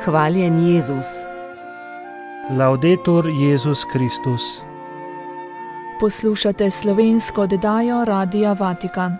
Hvaljen Jezus. Laudetur Jezus Kristus. Poslušate slovensko oddajo Radia Vatikan.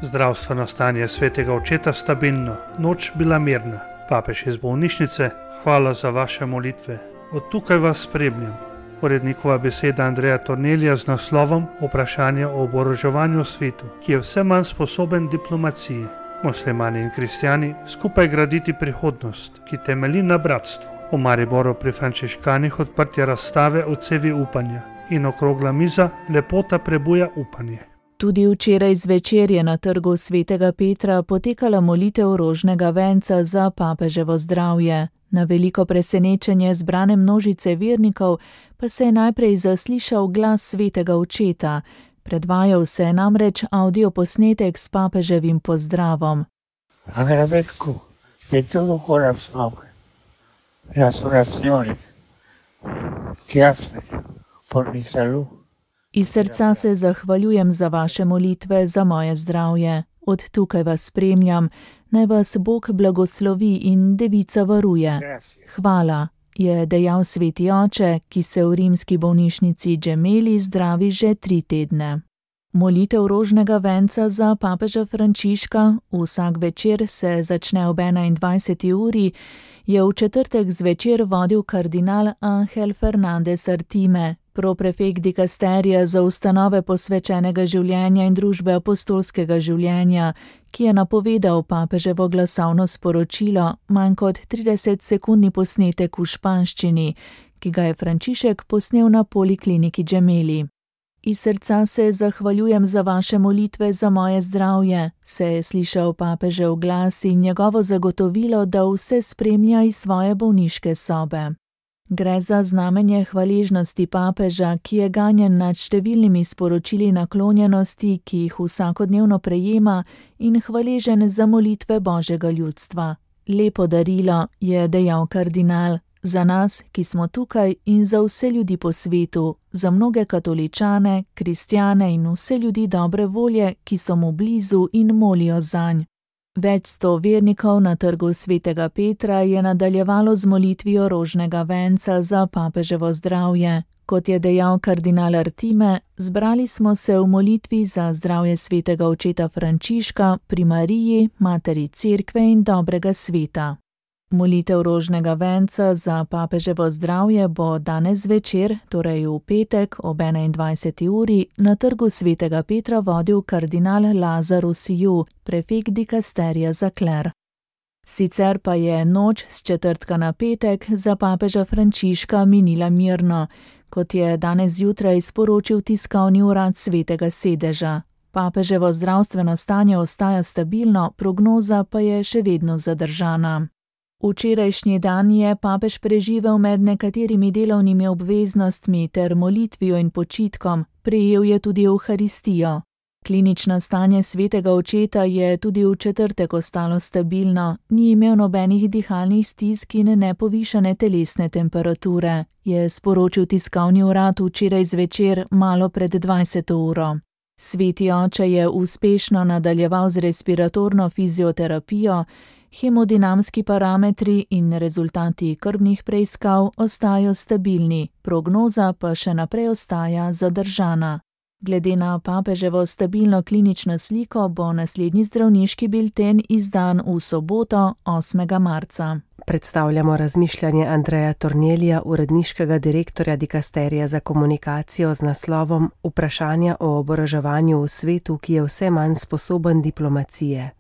Zdravstveno stanje svetega očeta stabilno, noč bila mirna. Papež iz bolnišnice, hvala za vaše molitve. Od tukaj vas spremljam. Urednikova beseda Andreja Tornelija z naslovom Vprašanje o oboroževanju v svetu, ki je vse manj sposoben diplomacije. Muslimani in kristjani skupaj graditi prihodnost, ki temelji na bratstvu. V Mariboru pri frančiškanih odprtje razstave o cevi upanja in okrogla miza Lepota prebuja upanje. Tudi včeraj zvečer je na trgu Svetega Petra potekala molitev rožnega venca za papeževo zdravje. Na veliko presenečenje zbrane množice vernikov pa se je najprej zaslišal glas svetega očeta. Predvajal se je namreč avdioposnetek s papeževim pozdravom. Agradezco de todo corazón las oraciones que haces por mi salud. Iz srca se zahvaljujem za vaše molitve za moje zdravje. Od tukaj vas spremljam, naj vas Bog blagoslovi in Devica varuje. Hvala, je dejal sveti oče, ki se v rimski bolnišnici Gemelli zdravi že 3 tedne. Molitev rožnega venca za papeža Frančiška, vsak večer se začne ob 21. uri, je v četrtek zvečer vodil kardinal Ángel Fernández Artime, proprefekt dikasterija za ustanove posvečenega življenja in družbe apostolskega življenja, ki je napovedal papeževo glasovno sporočilo, manj kot 30-sekundni posnetek v španščini, ki ga je Frančišek posnel na polikliniki Gemelli. Iz srca se zahvaljujem za vaše molitve za moje zdravje, se je slišal papežev glas in njegovo zagotovilo, da vse spremlja iz svoje bolniške sobe. Gre za znamenje hvaležnosti papeža, ki je ganjen nad številnimi sporočili naklonjenosti, ki jih vsakodnevno prejema, in hvaležen za molitve Božjega ljudstva. Lepo darilo, je dejal kardinal, za nas, ki smo tukaj, in za vse ljudi po svetu, za mnoge katoličane, kristjane in vse ljudi dobre volje, ki so mu blizu in molijo zanj. Več 100 vernikov na trgu Svetega Petra je nadaljevalo z molitvijo rožnega venca za papeževo zdravje. Kot je dejal kardinal Artime, zbrali smo se v molitvi za zdravje svetega očeta Frančiška pri Mariji, materi Cerkve in dobrega sveta. Molitev rožnega venca za papeževo zdravje bo danes zvečer, torej v petek ob 21. uri, na trgu Svetega Petra vodil kardinal Lazarus Ju, prefekt dikasterija za kler. Sicer pa je noč s četrtka na petek za papeža Frančiška minila mirno, kot je danes zjutraj sporočil tiskovni urad Svetega sedeža. Papeževo zdravstveno stanje ostaja stabilno, prognoza pa je še vedno zadržana. Včerajšnji dan je papež preživel med nekaterimi delovnimi obveznostmi ter molitvijo in počitkom, prejel je tudi evharistijo. Klinično stanje svetega očeta je tudi v četrtek ostalo stabilno, ni imel nobenih dihalnih stisk in nepovišane telesne temperature, je sporočil tiskovni urad včeraj zvečer malo pred 20. uro. Sveti oče je uspešno nadaljeval z respiratorno fizioterapijo, hemodinamski parametri in rezultati krvnih preiskav ostajajo stabilni, prognoza pa še naprej ostaja zadržana. Glede na papeževo stabilno klinično sliko bo naslednji zdravniški bilten izdan v soboto 8. marca. Predstavljamo razmišljanje Andreja Tornelija, uredniškega direktorja dikasterija za komunikacijo z naslovom Vprašanja o oboroževanju v svetu, ki je vse manj sposoben diplomacije.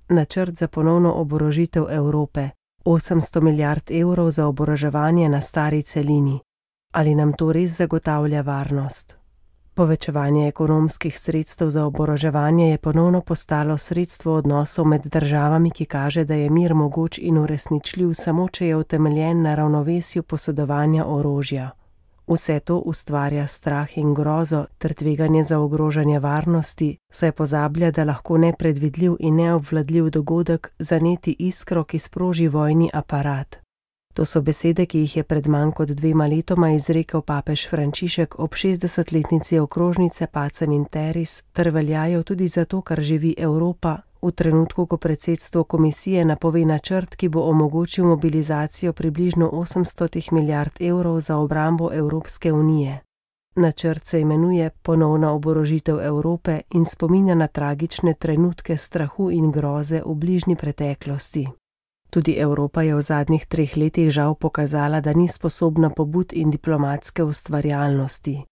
Načrt za ponovno oborožitev Evrope, 800 milijard evrov za oboroževanje na stari celini. Ali nam to res zagotavlja varnost? Povečevanje ekonomskih sredstev za oboroževanje je ponovno postalo sredstvo odnosov med državami, ki kaže, da je mir mogoč in uresničljiv samo, če je utemeljen na ravnovesju posedovanja orožja. Vse to ustvarja strah in grozo ter tveganje za ogrožanje varnosti, saj pozablja, da lahko nepredvidljiv in neobvladljiv dogodek zaneti iskro, ki sproži vojni aparat. To so besede, ki jih je pred manj kot 2 letoma izrekel papež Frančišek ob 60-letnici okrožnice Pacem in Terris, ter veljajo tudi zato, ker živi Evropa v trenutku, ko predsedstvo komisije napove načrt, ki bo omogočil mobilizacijo približno 800 milijard evrov za obrambo Evropske unije. Načrt se imenuje Ponovna oborožitev Evrope in spominja na tragične trenutke strahu in groze v bližnji preteklosti. Tudi Evropa je v zadnjih 3 letih žal pokazala, da ni sposobna pobud in diplomatske ustvarjalnosti.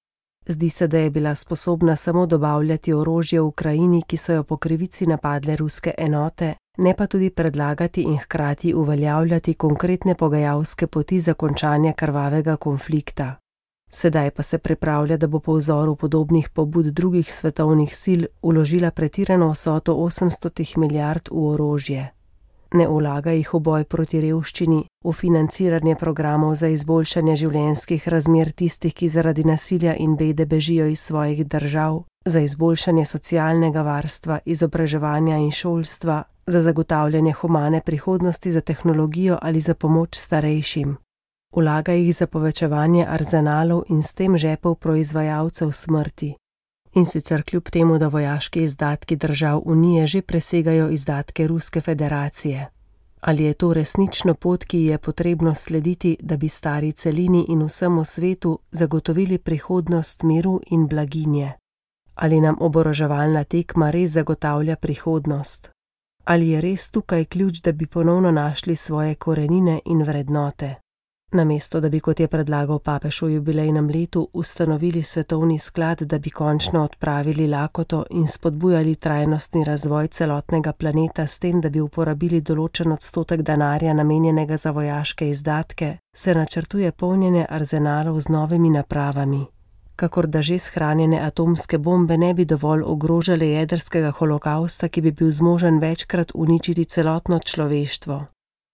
Zdi se, da je bila sposobna samo dobavljati orožje v Ukrajini, ki so jo po krivici napadle ruske enote, ne pa tudi predlagati in hkrati uveljavljati konkretne pogajalske poti za končanje krvavega konflikta. Sedaj pa se pripravlja, da bo po vzoru podobnih pobud drugih svetovnih sil vložila pretirano vsoto 800 milijard v orožje. Ne vlaga jih v boj proti revščini, v financiranje programov za izboljšanje življenjskih razmer tistih, ki zaradi nasilja in bede bežijo iz svojih držav, za izboljšanje socialnega varstva, izobraževanja in šolstva, za zagotavljanje humane prihodnosti, za tehnologijo ali za pomoč starejšim. Vlaga jih za povečevanje arzenalov in s tem žepov proizvajalcev smrti. In sicer kljub temu, da vojaški izdatki držav Unije že presegajo izdatke Ruske federacije. Ali je to resnično pot, ki je potrebno slediti, da bi stari celini in vsemu svetu zagotovili prihodnost miru in blaginje? Ali nam oboroževalna tekma res zagotavlja prihodnost? Ali je res tukaj ključ, da bi ponovno našli svoje korenine in vrednote? Namesto, da bi, kot je predlagal papež v jubilejnem letu, ustanovili svetovni sklad, da bi končno odpravili lakoto in spodbujali trajnostni razvoj celotnega planeta s tem, da bi uporabili določen odstotek denarja namenjenega za vojaške izdatke, se načrtuje polnjenje arzenalov z novimi napravami. Kakor da že shranjene atomske bombe ne bi dovolj ogrožale jedrskega holokausta, ki bi bil zmožen večkrat uničiti celotno človeštvo.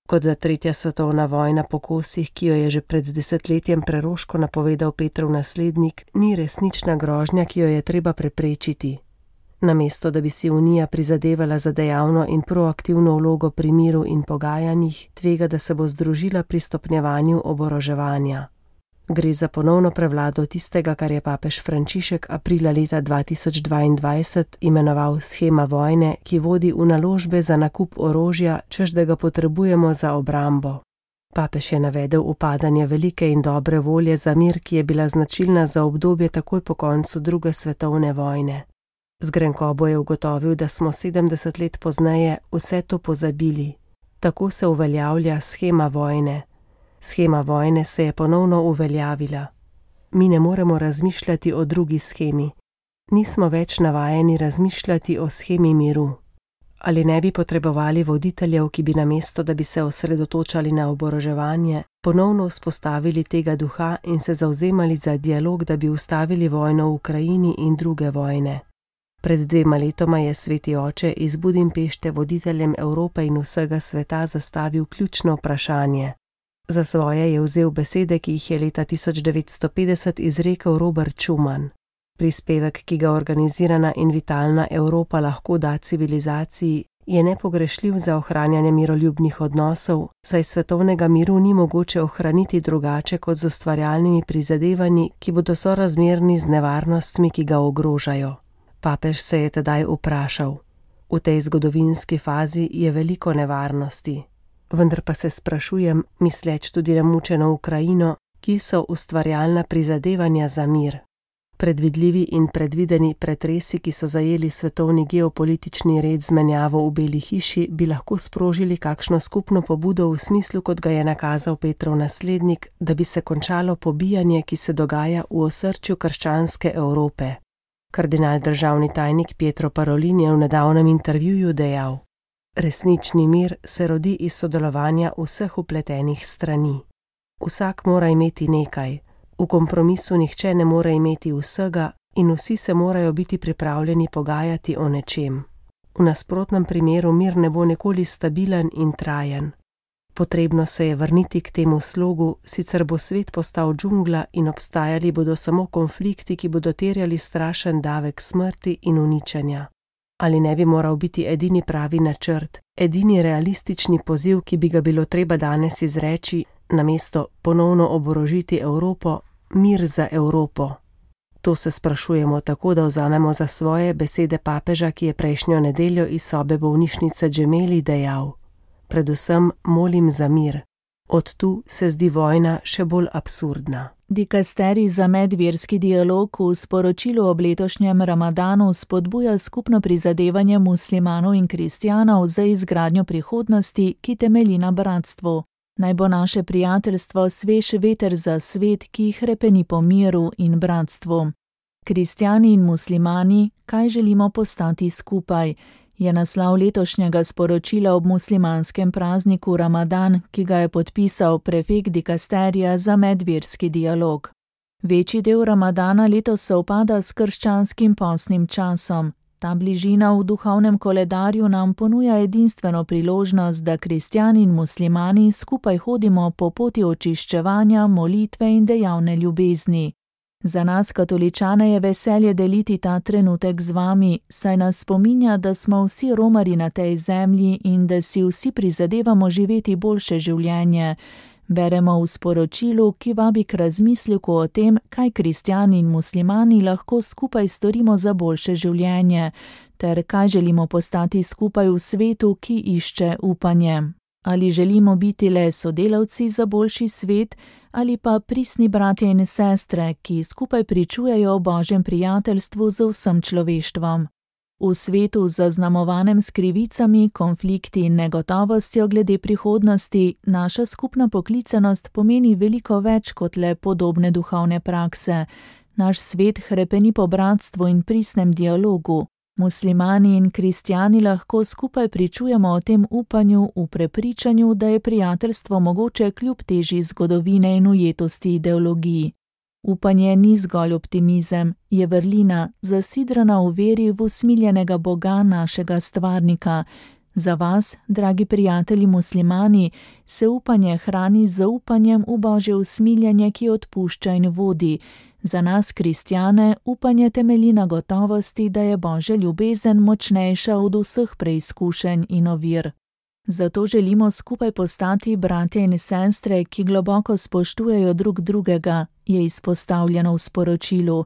Kot da 3. svetovna vojna po kosih, ki jo je že pred desetletjem preroško napovedal Petrov naslednik, ni resnična grožnja, ki jo je treba preprečiti. Namesto, da bi si Unija prizadevala za dejavno in proaktivno vlogo pri miru in pogajanjih, tvega, da se bo združila pri stopnjevanju oboroževanja. Gre za ponovno prevlado tistega, kar je papež Frančišek aprila leta 2022 imenoval shema vojne, ki vodi v naložbe za nakup orožja, češ da ga potrebujemo za obrambo. Papež je navedel upadanje velike in dobre volje za mir, ki je bila značilna za obdobje takoj po koncu druge svetovne vojne. Z grenkobo je ugotovil, da smo 70 let pozneje vse to pozabili. Tako se uveljavlja shema vojne. Shema vojne se je ponovno uveljavila. Mi ne moremo razmišljati o drugi shemi. Nismo več navajeni razmišljati o shemi miru. Ali ne bi potrebovali voditeljev, ki bi namesto, da bi se osredotočali na oboroževanje, ponovno vzpostavili tega duha in se zavzemali za dialog, da bi ustavili vojno v Ukrajini in druge vojne? Pred 2 letoma je Sveti oče iz Budimpešte voditeljem Evrope in vsega sveta zastavil ključno vprašanje. Za svoje je vzel besede, ki jih je leta 1950 izrekel Robert Schuman. Prispevek, ki ga organizirana in vitalna Evropa lahko da civilizaciji, je nepogrešljiv za ohranjanje miroljubnih odnosov, saj svetovnega miru ni mogoče ohraniti drugače kot z ustvarjalnimi prizadevanji, ki bodo sorazmerni z nevarnostmi, ki ga ogrožajo. Papež se je tedaj vprašal: v tej zgodovinski fazi je veliko nevarnosti. Vendar pa se sprašujem, misleč tudi na mučeno Ukrajino, kje so ustvarjalna prizadevanja za mir. Predvidljivi in predvideni pretresi, ki so zajeli svetovni geopolitični red z menjavo v Beli hiši, bi lahko sprožili kakšno skupno pobudo v smislu, kot ga je nakazal Petrov naslednik, da bi se končalo pobijanje, ki se dogaja v osrčju krščanske Evrope. Kardinal državni tajnik Pietro Parolin je v nedavnem intervjuju dejal: resnični mir se rodi iz sodelovanja vseh vpletenih strani. Vsak mora imeti nekaj, v kompromisu nihče ne more imeti vsega in vsi se morajo biti pripravljeni pogajati o nečem. V nasprotnem primeru mir ne bo nikoli stabilen in trajen. Potrebno se je vrniti k temu slogu, sicer bo svet postal džungla in obstajali bodo samo konflikti, ki bodo terjali strašen davek smrti in uničenja. Ali ne bi moral biti edini pravi načrt, edini realistični poziv, ki bi ga bilo treba danes izreči, namesto ponovno oborožiti Evropo, mir za Evropo? To se sprašujemo tako, da vzamemo za svoje besede papeža, ki je prejšnjo nedeljo iz sobe bolnišnice Gemelli dejal: predvsem molim za mir. Od tu se zdi vojna še bolj absurdna. Dikasterij za medverski dialog v sporočilu ob letošnjem Ramadanu spodbuja skupno prizadevanje muslimanov in kristjanov za izgradnjo prihodnosti, ki temelji na bratstvu. Naj bo naše prijateljstvo svež veter za svet, ki hrepeni po miru in bratstvu. Kristjani in muslimani, kaj želimo postati skupaj, je naslov letošnjega sporočila ob muslimanskem prazniku Ramadan, ki ga je podpisal prefekt dikasterija za medverski dialog. Večji del Ramadana letos sovpada s krščanskim postnim časom. Ta bližina v duhovnem koledarju nam ponuja edinstveno priložnost, da kristjani in muslimani skupaj hodimo po poti očiščevanja, molitve in dejavne ljubezni. Za nas, katoličane, je veselje deliti ta trenutek z vami, saj nas spominja, da smo vsi romarji na tej zemlji in da si vsi prizadevamo živeti boljše življenje. Beremo v sporočilu, ki vabi k razmisleku o tem, kaj kristjani in muslimani lahko skupaj storimo za boljše življenje, ter kaj želimo postati skupaj v svetu, ki išče upanje. Ali želimo biti le sodelavci za boljši svet, ali pa pristni bratje in sestre, ki skupaj pričujejo o Božjem prijateljstvu z vsem človeštvom. V svetu zaznamovanem s krivicami, konflikti in negotovostjo glede prihodnosti, naša skupna poklicanost pomeni veliko več kot le podobne duhovne prakse. Naš svet hrepeni po bratstvu in pristnem dialogu. Muslimani in kristjani lahko skupaj pričujemo o tem upanju v prepričanju, da je prijateljstvo mogoče kljub teži zgodovine in ujetosti ideologij. Upanje ni zgolj optimizem, je vrlina, zasidrana v veri v usmiljenega Boga našega stvarnika. Za vas, dragi prijatelji muslimani, se upanje hrani z zaupanjem v Božje usmiljenje, ki odpušča in vodi. Za nas, kristjane, upanje temelji na gotovosti, da je Božja ljubezen močnejša od vseh preizkušenj in ovir. Zato želimo skupaj postati bratje in sestre, ki globoko spoštujejo drug drugega, je izpostavljeno v sporočilu.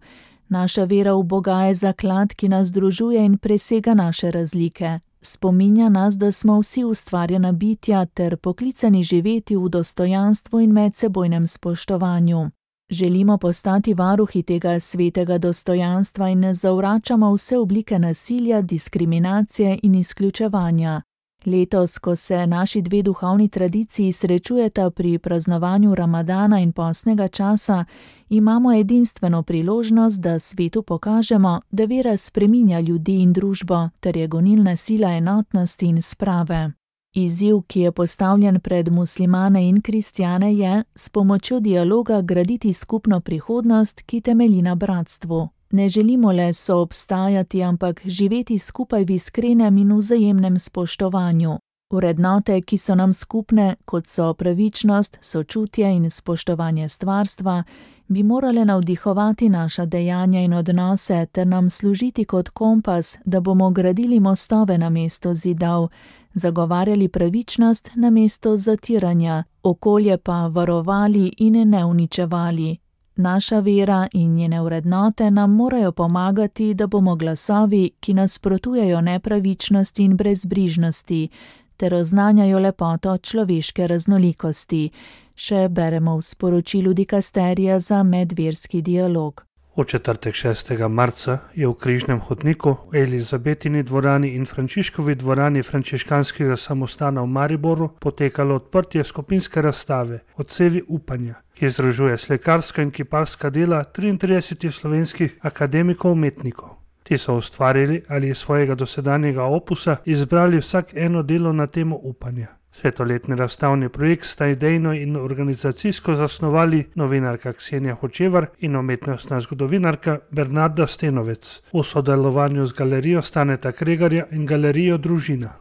Naša vera v Boga je zaklad, ki nas združuje in presega naše razlike. Spominja nas, da smo vsi ustvarjena bitja ter poklicani živeti v dostojanstvu in medsebojnem spoštovanju. Želimo postati varuhi tega svetega dostojanstva in ne zavračamo vse oblike nasilja, diskriminacije in izključevanja. Letos, ko se naši dve duhovni tradiciji srečujeta pri praznovanju Ramadana in postnega časa, imamo edinstveno priložnost, da svetu pokažemo, da vera spreminja ljudi in družbo ter je gonilna sila enotnosti in sprave. Izziv, ki je postavljen pred muslimane in kristjane, je s pomočjo dialoga graditi skupno prihodnost, ki temelji na bratstvu. Ne želimo le soobstajati, ampak živeti skupaj v iskrenem in vzajemnem spoštovanju. Vrednote, ki so nam skupne, kot so pravičnost, sočutje in spoštovanje stvarstva, bi morale navdihovati naša dejanja in odnose ter nam služiti kot kompas, da bomo gradili mostove namesto zidov, zagovarjali pravičnost namesto zatiranja, okolje pa varovali in ne uničevali. Naša vera in njene vrednote nam morajo pomagati, da bomo glasovi, ki nasprotujejo nepravičnosti in brezbrižnosti, ter oznanjajo lepoto človeške raznolikosti. Še beremo v sporočilu dikasterija za medverski dialog. V četrtek 6. marca je v Križnem hodniku, v Elizabetini dvorani in Frančiškovi dvorani frančiškanskega samostana v Mariboru potekalo odprtje skupinske razstave Odsevi upanja, ki združuje slikarska in kiparska dela 33 slovenskih akademikov umetnikov. Ti so ustvarili ali iz svojega dosedanjega opusa izbrali vsak eno delo na temo upanja. Svetoletni razstavni projekt sta idejno in organizacijsko zasnovali novinarka Ksenija Hočevar in umetnostna zgodovinarka Bernarda Stenovec v sodelovanju z galerijo Staneta Kregarja in galerijo Družina.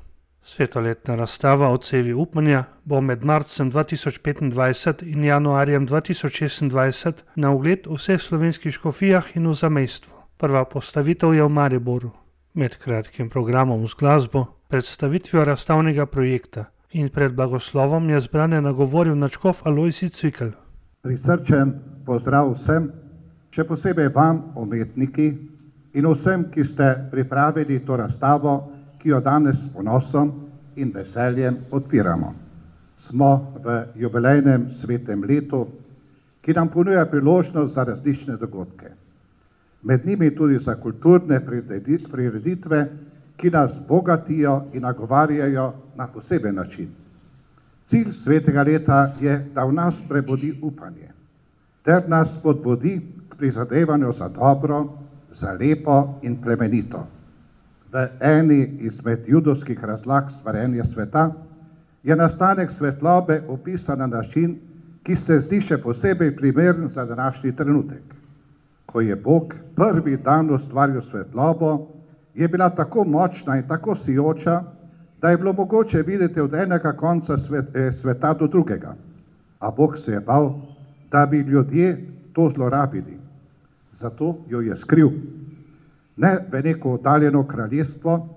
Svetoletna razstava Odsevi upanja bo med marcem 2025 in januarjem 2026 na ogled v vseh slovenskih škofijah in v zamejstvu. Prva postavitev je v Mariboru. Med kratkim programom z glasbo, predstavitvijo razstavnega projekta in pred blagoslovom je zbrane nagovoril nadškof Alojzij Cvikl. Prisrčen pozdrav vsem Še posebej vam, umetniki, in vsem, ki ste pripravili to razstavo, ki jo danes s ponosom in veseljem odpiramo. Smo v jubilejnem svetem letu, ki nam ponuja priložnost za različne dogodke. Med njimi tudi za kulturne prireditve, ki nas bogatijo in nagovarjajo na poseben način. Cilj svetega leta je, da v nas prebudi upanje, ter nas spodbudi k prizadevanju za dobro, za lepo in plemenito. V eni izmed judovskih razlag stvarjenja sveta je nastanek svetlobe opisan na način, ki se zdi še posebej primeren za današnji trenutek. Ko je Bog prvi dan ustvaril svetlobo, je bila tako močna in tako sijoča, da je bilo mogoče videti od enega konca sveta do drugega. A Bog se je bal, da bi ljudje to zlorabili. Zato jo je skril. Ne v neko oddaljeno kraljestvo,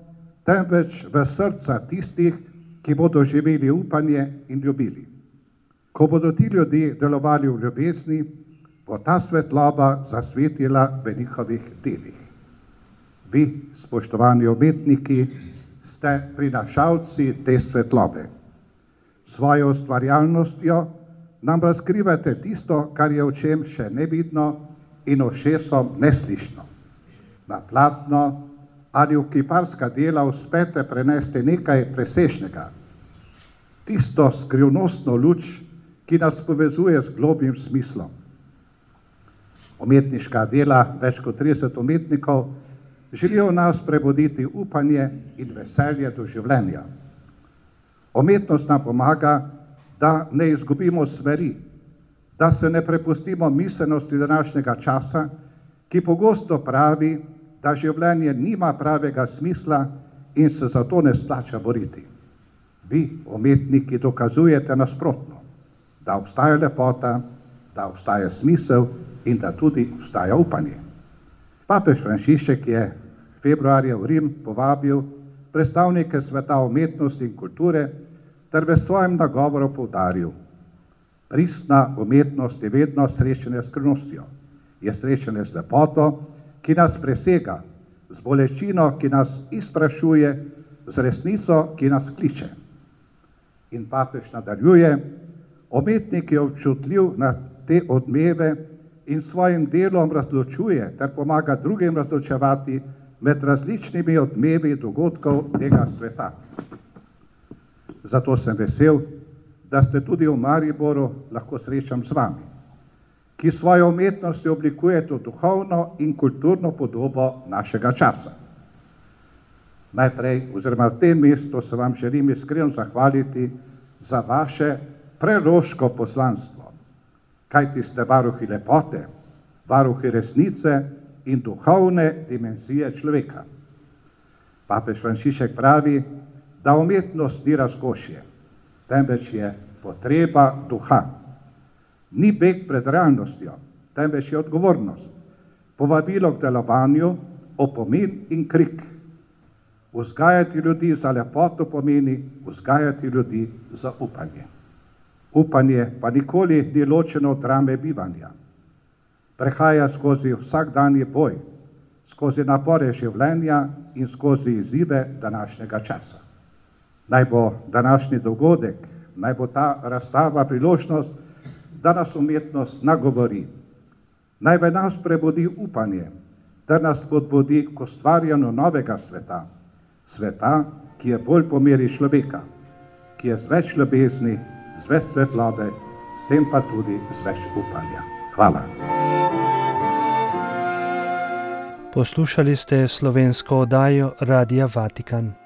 temveč v srca tistih, ki bodo živeli upanje in ljubili. Ko bodo ti ljudje delovali v ljubezni, bo ta svetloba zasvetila v njihovih delih. Vi, spoštovani umetniki, ste prinašalci te svetlobe. Svojo ustvarjalnostjo nam razkrivate tisto, kar je očem še nevidno in ušesom neslišno. Na platno ali v kiparska dela uspete prenesti nekaj presežnega. Tisto skrivnostno luč, ki nas povezuje z globljim smislom. Umetniška dela več kot 30 umetnikov želijo v nas prebuditi upanje in veselje do življenja. Umetnost nam pomaga, da ne izgubimo smeri, da se ne prepustimo miselnosti današnjega časa, ki pogosto pravi, da življenje nima pravega smisla in se zato ne splača boriti. Vi, umetniki, dokazujete nasprotno, da obstaja lepota, da obstaja smisel in da tudi obstaja upanje. Papež Frančišek je februarja v Rim povabil predstavnike sveta umetnosti in kulture ter v svojem nagovoru poudaril: pristna umetnost je vedno srečanje s skrivnostjo, je srečanje z lepoto, ki nas presega, z bolečino, ki nas izprašuje, z resnico, ki nas kliče. In papež nadaljuje: umetnik je občutljiv na te odmeve in svojim delom razločuje ter pomaga drugim razločevati med različnimi odmevi dogodkov tega sveta. Zato sem vesel, da ste tudi v Mariboru lahko srečam z vami, ki svojo umetnostjo oblikujete duhovno in kulturno podobo našega časa. Najprej, oziroma v tem mestu, se vam želim iskreno zahvaliti za vaše preroško poslanstvo, kajti ste varuhi lepote, varuhi resnice in duhovne dimenzije človeka. Papež Frančišek pravi, da umetnost ni razkošje, temveč je potreba duha. Ni beg pred realnostjo, temveč je odgovornost, povabilo k delovanju, opomin in krik. Vzgajati ljudi za lepoto pomeni vzgajati ljudi za upanje. Upanje pa nikoli ni ločeno od drame bivanja. Prehaja skozi vsakdanji boj, skozi napore življenja in skozi izzive današnjega časa. Naj bo današnji dogodek, naj bo ta razstava priložnost, da nas umetnost nagovori. Naj v nas prebudi upanje, ter nas spodbudi k ustvarjanju novega sveta. Sveta, ki je bolj po meri človeka, ki je z več ljubezni, z več svetlobe, s tem pa tudi z več upanja. Hvala. Poslušali ste slovensko oddajo Radia Vatikan.